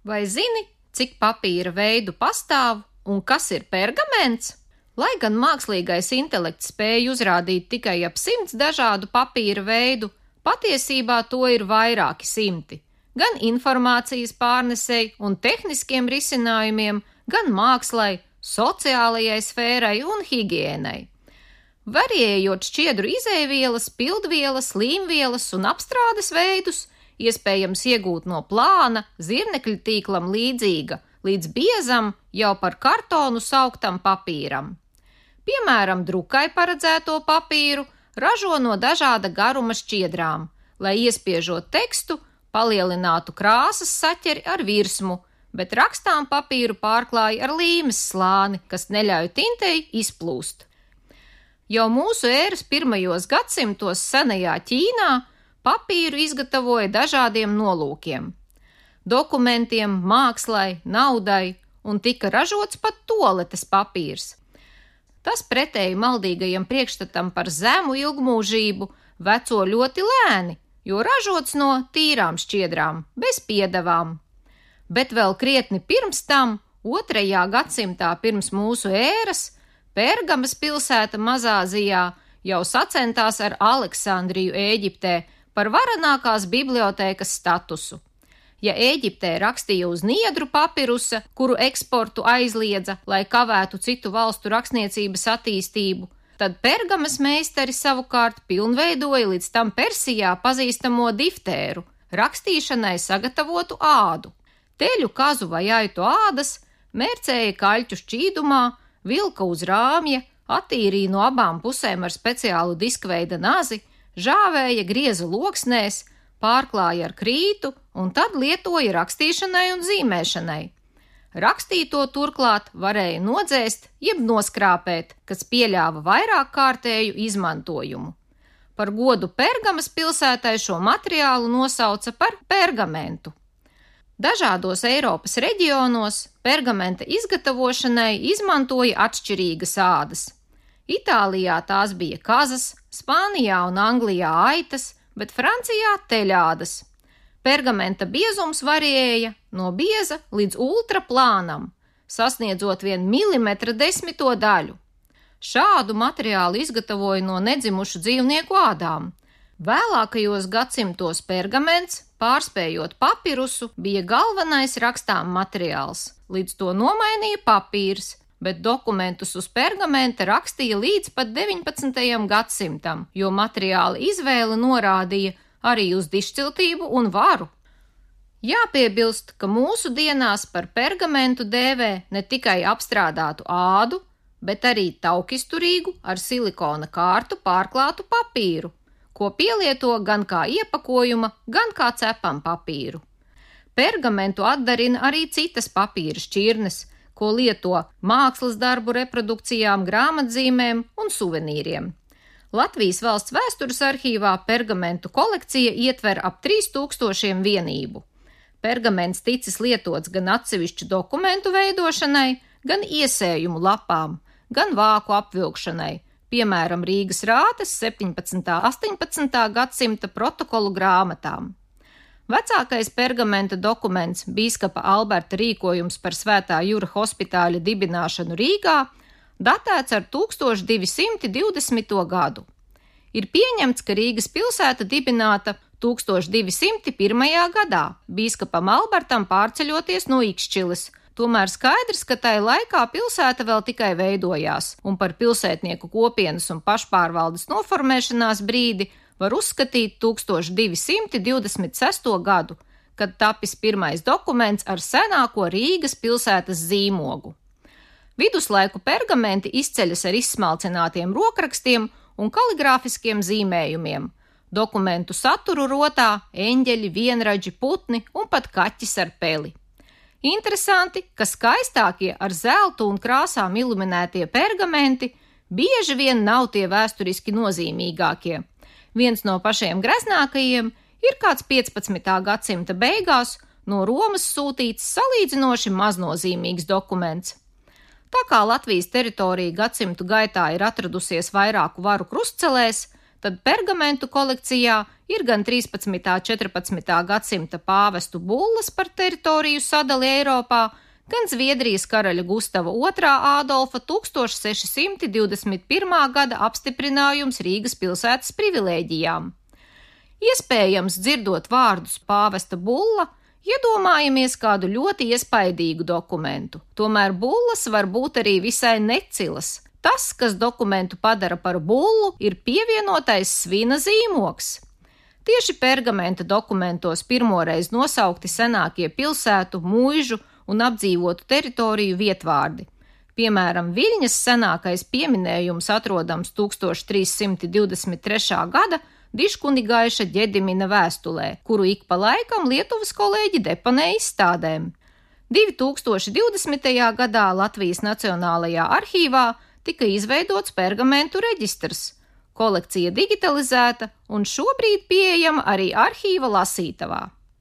Vai zini, cik papīra veidu pastāv un kas ir pergaments? Lai gan mākslīgais intelekts spēj uzrādīt tikai ap 100 dažādu papīra veidu, patiesībā to ir vairāki simti. Gan informācijas pārnesei un tehniskiem risinājumiem, gan mākslai, sociālajai sfērai un higiēnai. Variējot šķiedru izēvielas, pildvielas, līmvielas un apstrādes veidus, iespējams iegūt no plāna, zirnekļu tīklam līdzīga, līdz biezam, jau par kartonu sauktam papīram. Piemēram, drukai paredzēto papīru ražo no dažāda garuma šķiedrām, lai iespiežot tekstu, palielinātu krāsas saķeri ar virsmu, bet rakstām papīru pārklāja ar līmes slāni, kas neļauj tintei izplūst. Jau mūsu ēras pirmajos gadsimtos senajā Ķīnā papīru izgatavoja dažādiem nolūkiem – dokumentiem, mākslai, naudai, un tika ražots pat tualetes papīrs. Tas pretēji maldīgajam priekšstatam par zemu ilgmūžību veco ļoti lēni, jo ražots no tīrām šķiedrām, bez piedevām. Bet vēl krietni pirms tam, 2. gadsimtā pirms mūsu ēras, Pergamas pilsēta Mazāzijā jau sacentās ar Aleksandriju Ēģiptē par varenākās bibliotēkas statusu. Ja Ēģiptē rakstīja uz niedru papirusa, kuru eksportu aizliedza, lai kavētu citu valstu rakstniecības attīstību, tad Pergamas meistari savukārt pilnveidoja līdz tam Persijā pazīstamo diftēru, rakstīšanai sagatavotu ādu. Teļu, kazu vai aitu ādas mērcēja kaļķu šķīdumā, vilka uz rāmja, attīrīja no abām pusēm ar speciālu diskveida nazi, žāvēja grieza loksnēs, pārklāja ar krītu un tad lietoja rakstīšanai un zīmēšanai. Rakstīto turklāt varēja nodzēst jeb noskrāpēt, kas pieļāva vairāk kārtēju izmantojumu. Par godu Pergamas pilsētai šo materiālu nosauca par pergamentu. Dažādos Eiropas reģionos pergamenta izgatavošanai izmantoja atšķirīgas ādas. Itālijā tās bija kazas, Spānijā un Anglijā aitas, bet Francijā teļādas. Pergamenta biezums variēja no bieza līdz ultraplānam, sasniedzot 1 milimetra desmito daļu. Šādu materiālu izgatavoja no nedzimušu dzīvnieku ādām. Vēlākajos gadsimtos pergaments, pārspējot papirusu, bija galvenais rakstām materiāls, līdz to nomainīja papīrs, bet dokumentus uz pergamenta rakstīja līdz pat 19. gadsimtam, jo materiāla izvēle norādīja arī uz dišciltību un varu. Jāpiebilst, ka mūsu dienās par pergamentu dēvē ne tikai apstrādātu ādu, bet arī taukisturīgu ar silikona kārtu pārklātu papīru, ko pielieto gan kā iepakojuma, gan kā cepam papīru. Pergamentu atdarina arī citas papīra šķirnes, ko lieto mākslas darbu reprodukcijām, grāmatzīmēm un suvenīriem. Latvijas Valsts vēstures arhīvā pergamentu kolekcija ietver ap 3000 vienību. Pergaments ticis lietots gan atsevišķu dokumentu veidošanai, gan iesējumu lapām, gan vāku apvilkšanai, piemēram, Rīgas rātes 17. 18. gadsimta protokolu grāmatām. Vecākais pergamenta dokuments, bīskapa Alberta rīkojums par Svētā Jura hospitāļa dibināšanu Rīgā, datēts ar 1220. gadu. Ir pieņemts, ka Rīgas pilsēta dibināta 1201. gadā, bīskapam Albertam pārceļoties no Ikšķiles. Tomēr skaidrs, ka tai laikā pilsēta vēl tikai veidojās, un par pilsētnieku kopienas un pašpārvaldes noformēšanās brīdi var uzskatīt 1226. gadu, kad tapis pirmais dokuments ar senāko Rīgas pilsētas zīmogu. Viduslaiku pergamenti izceļas ar izsmalcinātiem rokrakstiem un kaligrāfiskiem zīmējumiem. Dokumentu saturu rotā eņģeļi, vienradži, putni un pat kaķis ar peli. Interesanti, ka skaistākie ar zeltu un krāsām iluminētie pergamenti bieži vien nav tie vēsturiski nozīmīgākie. Viens no pašiem greznākajiem ir kāds 15. gadsimta beigās no Romas sūtīts salīdzinoši maznozīmīgs dokuments. Tā kā Latvijas teritorija gadsimtu gaitā ir atradusies vairāku varu krustcelēs, tad pergamentu kolekcijā ir gan 13. un 14. gadsimta pāvestu bullas par teritoriju sadali Eiropā, gan Zviedrijas karaļa Gustava II Ādolfa 1621. gada apstiprinājums Rīgas pilsētas privilēģijām. Iespējams, dzirdot vārdus pāvesta bulla, iedomājamies kādu ļoti iespaidīgu dokumentu. Tomēr bullas var būt arī visai necilas. Tas, kas dokumentu padara par bullu, ir pievienotais svina zīmogs. Tieši pergamenta dokumentos pirmoreiz nosaukti senākie pilsētu, muižu un apdzīvotu teritoriju vietvārdi. Piemēram, Viļņas senākais pieminējums atrodams 1323. gada Diškunigaiša Ģedimina vēstulē, kuru ik pa laikam Lietuvas kolēģi deponē izstādēm. 2020. gadā Latvijas Nacionālajā arhīvā tika izveidots pergamentu reģistrs, kolekcija digitalizēta un šobrīd pieejama arī arhīva lasītavā.